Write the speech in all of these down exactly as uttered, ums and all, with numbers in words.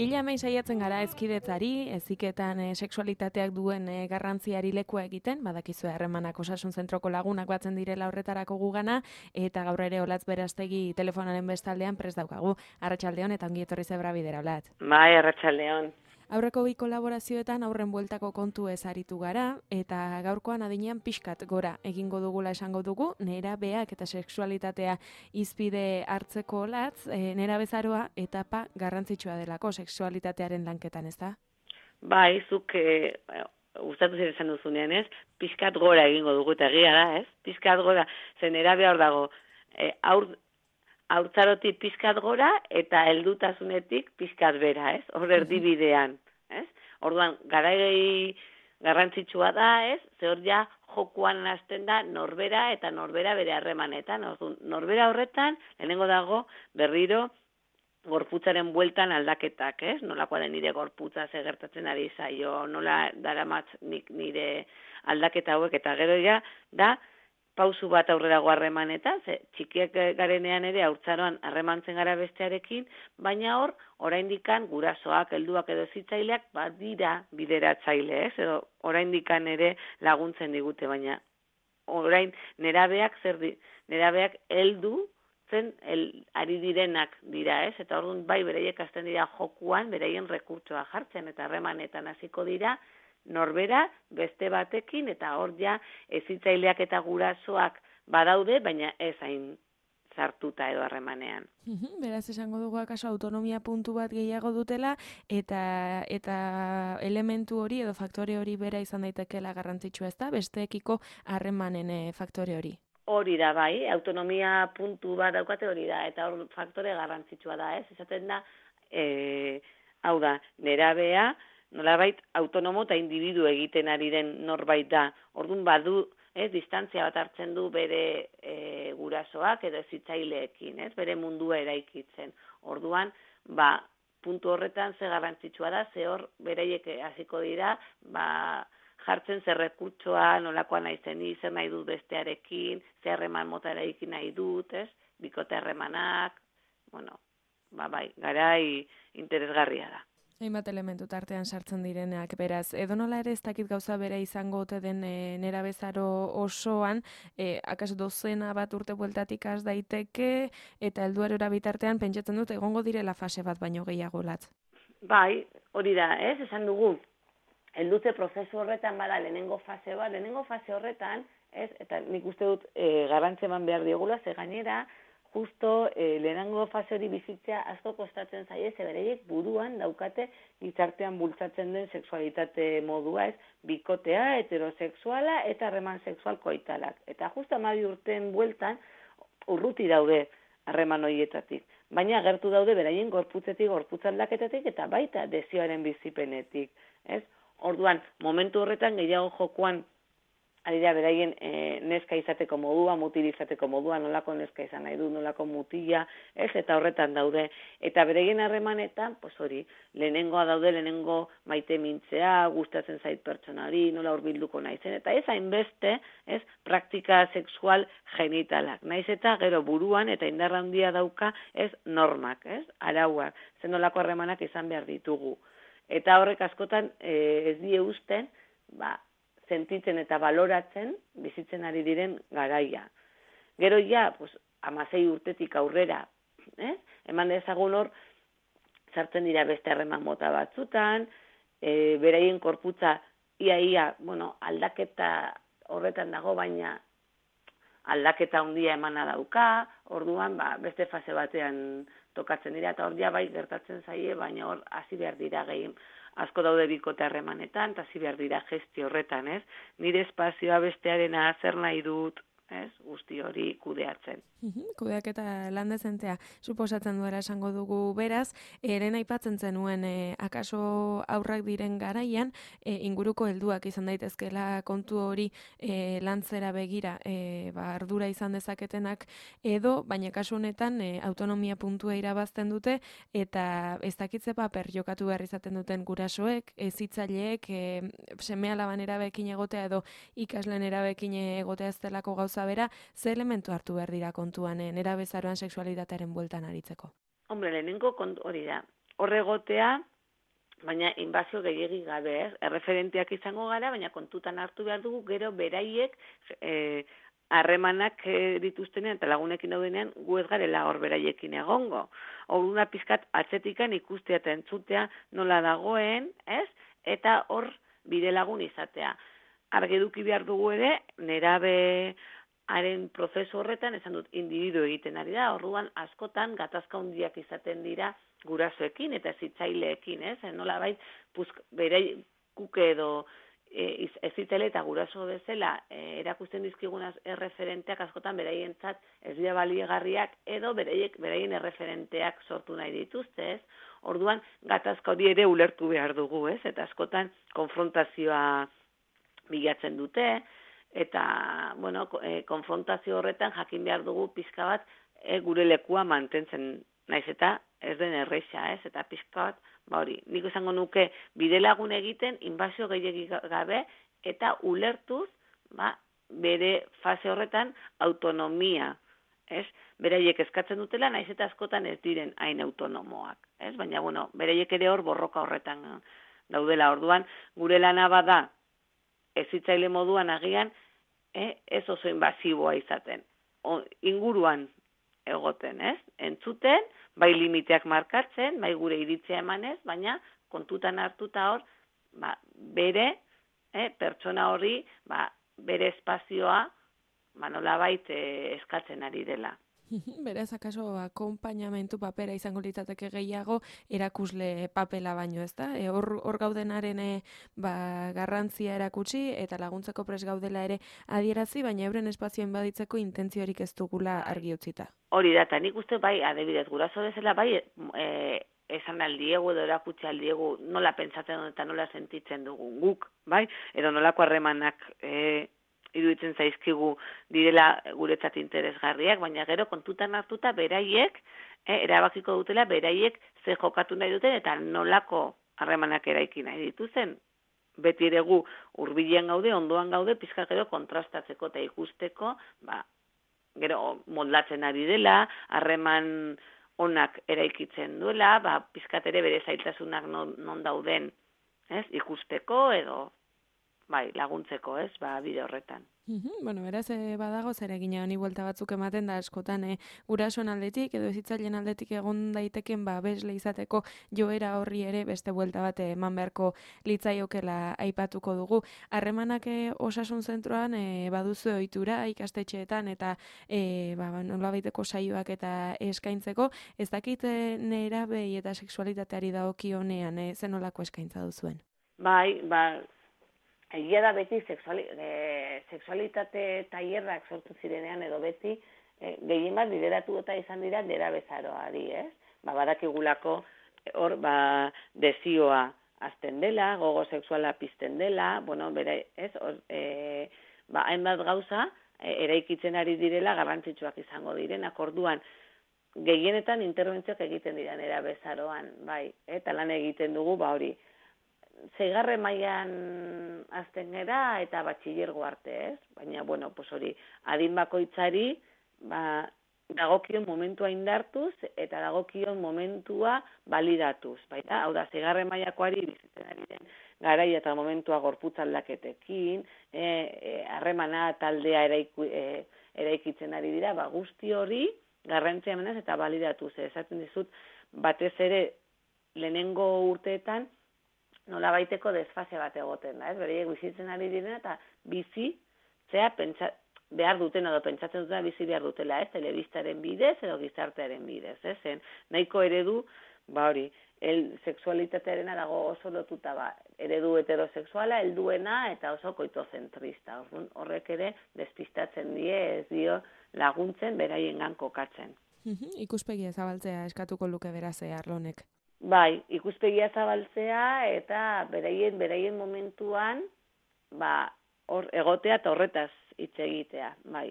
Hila hemen saiatzen gara ezkidetzari, heziketan e, sexualitateak duen e, garrantziari lekua egiten, badakizue harremanak osasun zentroko lagunak batzen direla horretarako gugana, eta gaur ere Olatz Berastegi telefonaren bestaldean prest daukagu. Arratsaldeon eta ongi etorri zebra bidera, Olatz. Bai, arratsaldeon. Aurreko bi kolaborazioetan aurren bueltako kontu ez aritu gara, eta gaurkoan adinean pixkat gora egingo dugula esango dugu, nerabeak eta sexualitatea hizpide hartzeko Olatz, e, nerabezaroa etapa garrantzitsua delako sexualitatearen lanketan, ez da? Bai, zuk e, gustatu zer esan duzunean, ez? Pixkat gora egingo dugu eta egia da, ez? Pixkat gora, zen nerabea hor dago, e, aur, haurtzarotik pixkat gora eta heldutasunetik pixkat bera, ez? Hor erdibidean, ez? Orduan, garai garrantzitsua da, ez? Ze hor ja jokuan hasten da norbera eta norbera bere harremanetan. Orduan, norbera horretan, lehenengo dago berriro gorputzaren bueltan aldaketak, ez? Nolakoa den nire gorputza ze gertatzen ari zaio, nola daramat nik nire aldaketa hauek, eta gero ja da pausu bat aurrerago harremanetan, ze txikiak garenean ere haurtzaroan harremantzen gara bestearekin, baina hor, oraindikan gurasoak, helduak edo hezitzaileak badira bideratzaile, ez? Edo oraindikan ere laguntzen digute, baina orain nerabeak zer di, nerabeak heldu zen el, ari direnak dira, ez? Eta orduan bai beraiek hasten dira jokuan, beraien rekurtsoa jartzen eta harremanetan hasiko dira, norbera beste batekin, eta hor ja hezitzaileak eta gurasoak badaude, baina ez hain sartuta edo harremanean. Beraz esango dugu akaso autonomia puntu bat gehiago dutela, eta eta elementu hori edo faktore hori bera izan daitekeela garrantzitsua, ez da? Besteekiko harremanen e, faktore hori. Hori da, bai, autonomia puntu bat daukate hori da, eta hor faktore garrantzitsua da, ez? Esaten da, e, hau da, nerabea, nolabait autonomo eta individu egiten ari den norbait da. Orduan badu, ez, distantzia bat hartzen du bere e, gurasoak edo hezitzaileekin, ez, bere mundua eraikitzen. Orduan, ba, puntu horretan ze garrantzitsua da, ze hor beraiek hasiko dira, ba, jartzen zer rekurtsoa, nolakoa naizen ni, zer nahi dut bestearekin, zer harreman mota eraikin nahi dut, ez, bikote harremanak, bueno, ba, bai, garai interesgarria da. Hainbat elementu tartean sartzen direnak, beraz, edonola ere ez dakit gauza bere izango ote den e, nerabezaro osoan, e, akas dozena bat urte bueltatik has daiteke, eta helduarora bitartean pentsatzen dut egongo direla fase bat baino gehiago Latz. Bai, hori da, ez, esan dugu, heldutze prozesu horretan bada lehenengo fase bat, lehenengo fase horretan, ez, eta nik uste dut e, garrantzi eman behar diogula, ze gainera, justo eh, lehenengo fase hori bizitzea asko kostatzen zaie, ze bereiek buruan daukate gizartean bultzatzen den sexualitate modua, ez, bikotea, heterosexuala eta harreman sexual koitalak. Eta justo hamabi urteen bueltan urruti daude harreman horietatik. Baina agertu daude beraien gorputzetik, gorputz aldaketatik eta baita desioaren bizipenetik, ez? Orduan, momentu horretan gehiago jokuan ari da beraien e, neska izateko modua, mutil izateko modua, nolako neska izan nahi du, nolako mutila, ez, eta horretan daude. Eta beraien harremanetan, pues hori, lehenengoa daude, lehenengo maite mintzea, gustatzen zait pertsonari, nola hurbilduko naizen, eta ez hainbeste, ez, praktika sexual genitalak. Naiz eta gero buruan eta indarra handia dauka, ez, normak, ez, arauak, zen nolako harremanak izan behar ditugu. Eta horrek askotan e, ez die usten, ba, sentitzen eta baloratzen bizitzen ari diren garaia. Gero ja, pues, hamasei urtetik aurrera, eh? Eman dezagun hor, sartzen dira beste harreman mota batzutan, e, beraien korputza ia ia, bueno, aldaketa horretan dago, baina aldaketa handia emana dauka, orduan ba, beste fase batean tokatzen dira, eta hor ja bai gertatzen zaie, baina hor hasi behar dira gehien. Asko daude bikote harremanetan, eta hasi behar dira gesti horretan, ez? Nire espazioa bestearena zer nahi dut, ez, guzti hori kudeatzen. Kudeaketa lan dezentea suposatzen duela esango dugu beraz, eren aipatzen zenuen e, akaso aurrak diren garaian, e, inguruko helduak izan daitezkela kontu hori e, lantzera begira e, ba, ardura izan dezaketenak edo, baina kasu honetan e, autonomia puntua irabazten dute eta ez dakitze paper jokatu behar izaten duten gurasoek, hezitzaileek, e, seme alaban erabekin egotea edo ikasleen erabekin egotea ez delako gauza bera, ze elementu hartu behar dira kontuan eh, nerabezaroan sexualitatearen bueltan aritzeko? Hombre, lehenengo kontu hori da. Horregotea, baina inbazio gehiegi gabe, ez? Erreferenteak izango gara, baina kontutan hartu behar dugu, gero beraiek eh, harremanak e, dituztenean eta lagunekin daudenean gu ez garela hor beraiekin egongo. Horuna pizkat atzetikan ikustea eta entzutea nola dagoen, ez? Eta hor bide lagun izatea. Argi eduki behar dugu ere, nerabearen prozesu horretan, esan dut, individu egiten ari da, orduan askotan gatazka handiak izaten dira gurasoekin eta hezitzaileekin, ez? Nola bait, berei kuke edo e, hezitzaileek eta guraso bezala e, erakusten dizkigunaz erreferenteak askotan beraientzat ez dira baliegarriak edo bereiek beraien erreferenteak sortu nahi dituzte, ez? Orduan gatazka hori ere ulertu behar dugu, ez? Eta askotan konfrontazioa bilatzen dute, eta, bueno, e, konfrontazio horretan jakin behar dugu pixka bat e, gure lekua mantentzen naiz eta ez den erreixa, ez? Eta pixka bat, ba hori, nik esango nuke bidelagun egiten, inbazio gehiegi gabe, eta ulertuz, ba, bere fase horretan autonomia, ez? Beraiek eskatzen dutela, naiz eta askotan ez diren hain autonomoak, ez? Baina, bueno, beraiek ere hor borroka horretan daudela, orduan, gure lana bada, hezitzaile moduan agian, eh, ez oso inbasiboa izaten. O, inguruan egoten, ez? Entzuten, bai limiteak markatzen, bai gure iritzia emanez, baina kontutan hartuta hor, ba, bere, eh, pertsona hori, ba, bere espazioa, ba, nolabait eh, eskatzen ari dela. Beraz, akaso, akompainamentu papera izango litzateke gehiago, erakusle papela baino, ez da? E, hor, hor gaudenaren e, ba, garrantzia erakutsi eta laguntzeko pres gaudela ere adierazi, baina euren espazioen baditzeko intentziorik ez dugula argi utzita. Hori da, eta nik uste bai, adibidez, guraso bezala bai, e, esan aldiegu edo erakutsi aldiegu nola pentsatzen dut eta nola sentitzen dugu guk, bai? Edo nolako harremanak e, iruditzen zaizkigu direla guretzat interesgarriak, baina gero kontutan hartuta beraiek, eh, erabakiko dutela beraiek ze jokatu nahi duten eta nolako harremanak eraiki nahi dituzen. Beti ere gu hurbilean gaude, ondoan gaude, pizka gero kontrastatzeko eta ikusteko, ba, gero moldatzen ari dela, harreman onak eraikitzen duela, ba, pizkat ere bere zailtasunak non, non dauden, ez, ikusteko edo bai, laguntzeko, ez, ba, bide horretan. Mm-hmm. Bueno, beraz, e, badago zer egina honi buelta batzuk ematen da askotan e, gurasoen aldetik edo hezitzaileen aldetik egon daiteken ba besle izateko joera horri ere beste buelta bat eman beharko litzaiokela aipatuko dugu. Harremanak e, osasun zentroan e, baduzu ohitura ikastetxeetan eta e, ba, nolabaiteko saioak eta eskaintzeko, ez dakit e, nerabei eta sexualitateari dagokionean e, zenolako eskaintza duzuen? Bai, ba, egia da beti sexuali, e, sexualitate tailerrak sortu zirenean edo beti e, gehien bat lideratu eta izan dira nerabezaroari, ez? Ba, badakigulako hor ba, desioa azten dela, gogo sexuala pizten dela, bueno, bere, ez? Or, e, ba, hainbat gauza e, eraikitzen ari direla garrantzitsuak izango direnak, orduan gehienetan interbentzioak egiten dira nerabezaroan, bai, eta lan egiten dugu, ba hori, zeigarre mailan azten gera eta batxilergo arte, ez? Baina, bueno, pues hori, adin bakoitzari, ba, dagokion momentua indartuz eta dagokion momentua balidatuz, baita? Hau da, zeigarre mailakoari bizitzen ari den garaia eta momentua gorputz aldaketekin, harremana e, e, taldea eraiku, e, eraikitzen ari dira, ba, guzti hori garrantzia emanez eta balidatuz. Esaten dizut, batez ere lehenengo urteetan nola baiteko desfase bat egoten da, ez? Bereiek bizitzen ari direna eta bizi, zea, pentsa, behar duten edo pentsatzen dutena bizi behar dutela, ez? Telebistaren bidez edo gizartearen bidez, ez? Zen, nahiko eredu, ba hori, el sexualitatearena dago oso lotuta ba, eredu heterosexuala, helduena eta oso koitozentrista. Orduan, horrek ere despistatzen die, ez dio laguntzen beraiengan kokatzen. Mhm, ikuspegia zabaltzea eskatuko luke beraz arlo honek. Bai, ikuspegia zabaltzea eta beraien beraien momentuan ba hor egotea eta horretaz hitz egitea, bai.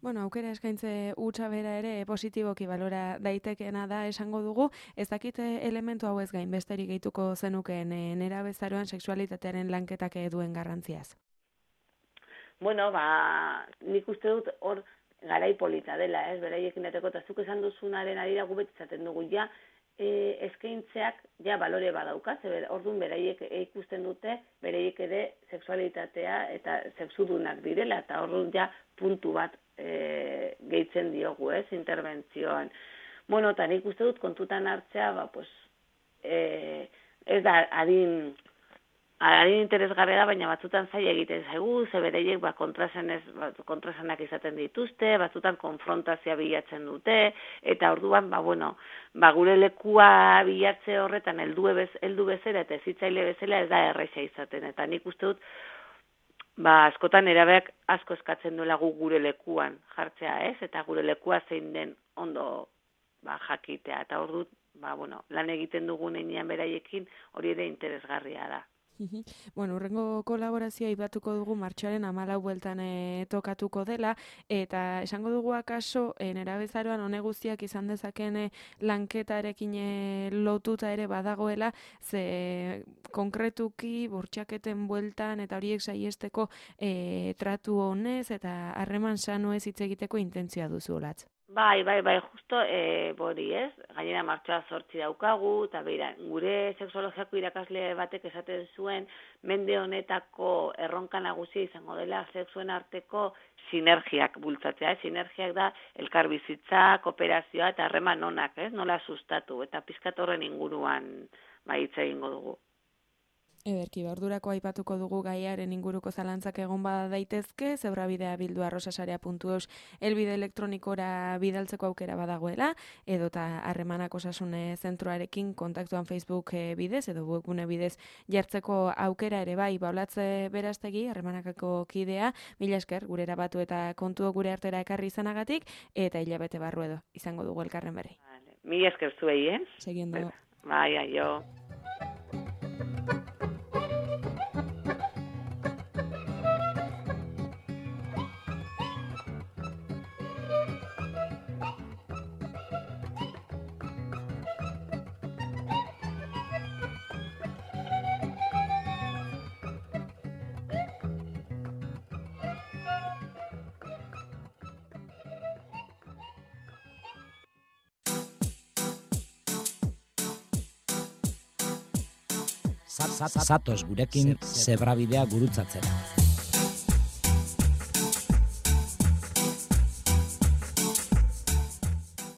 Bueno, aukera eskaintze hutsa bera ere positiboki balora daitekeena da esango dugu, ez dakit elementu hau ez gain besterik gehituko zenukeen nerabezaroan sexualitatearen lanketak duen garrantziaz. Bueno, ba, nik uste dut hor garai polita dela, ez, beraiekin dateko, eta zuk esan duzunaren arira gubet izaten dugu, ja, e, eskaintzeak ja balore badauka, ze orduan beraiek ikusten dute, beraiek ere sexualitatea eta sexudunak direla, eta orduan ja puntu bat e, gehitzen diogu, ez, interbentzioan. Bueno, eta nik uste dut kontutan hartzea, ba, pues, e, ez da adin... Adin interesgarria da, baina batzutan zaila egiten zaigu, ze bereiek ba, kontrasenez, ba, kontrasenak izaten dituzte, batzutan konfrontazioa bilatzen dute, eta orduan, ba, bueno, ba, gure lekua bilatze horretan heldu bez, heldu bezala eta ezitzaile bezala ez da erresa izaten. Eta nik uste dut, ba, askotan erabeak asko eskatzen duela gu gure lekuan jartzea, ez? Eta gure lekua zein den ondo ba, jakitea. Eta ordu, ba, bueno, lan egiten dugun enean beraiekin hori ere interesgarria da. Bueno, urrengo kolaborazioa ibatuko dugu martxoaren hamalau bueltan e, tokatuko dela, eta esango dugu akaso e, nerabezaroan hone guztiak izan dezaken e, lanketarekin e, lotuta ere badagoela, ze konkretuki bortxaketen bueltan eta horiek saiesteko e, tratu honez eta harreman sanoez hitz egiteko intentzioa duzu olatz. Bai, bai, bai, justo, e, bori ez, gainera martxoa zortzi daukagu, eta beira, gure sexologiako irakasle batek esaten zuen, mende honetako erronka nagusia izango dela sexuen arteko sinergiak bultzatzea, eh? Sinergiak da elkarbizitza, kooperazioa eta harreman onak, ez, nola sustatu, eta pizkat horren inguruan ba, hitz egingo dugu. Ederki, ordurako aipatuko dugu gaiaren inguruko zalantzak egon bada daitezke, zebrabidea bildu arrosasarea puntu eus elbide elektronikora bidaltzeko aukera badagoela, edota harremanak osasune zentroarekin kontaktuan Facebook bidez, edo webgune bidez jartzeko aukera ere bai, baulatze beraztegi, harremanakako kidea, mila esker, gure erabatu eta kontu gure artera ekarri izanagatik, eta hilabete barru edo, izango dugu elkarren berri. Vale. Mila esker zuei, eh? Seguiendo. Bai, aio. Zatoz gurekin zebrabidea gurutzatzera.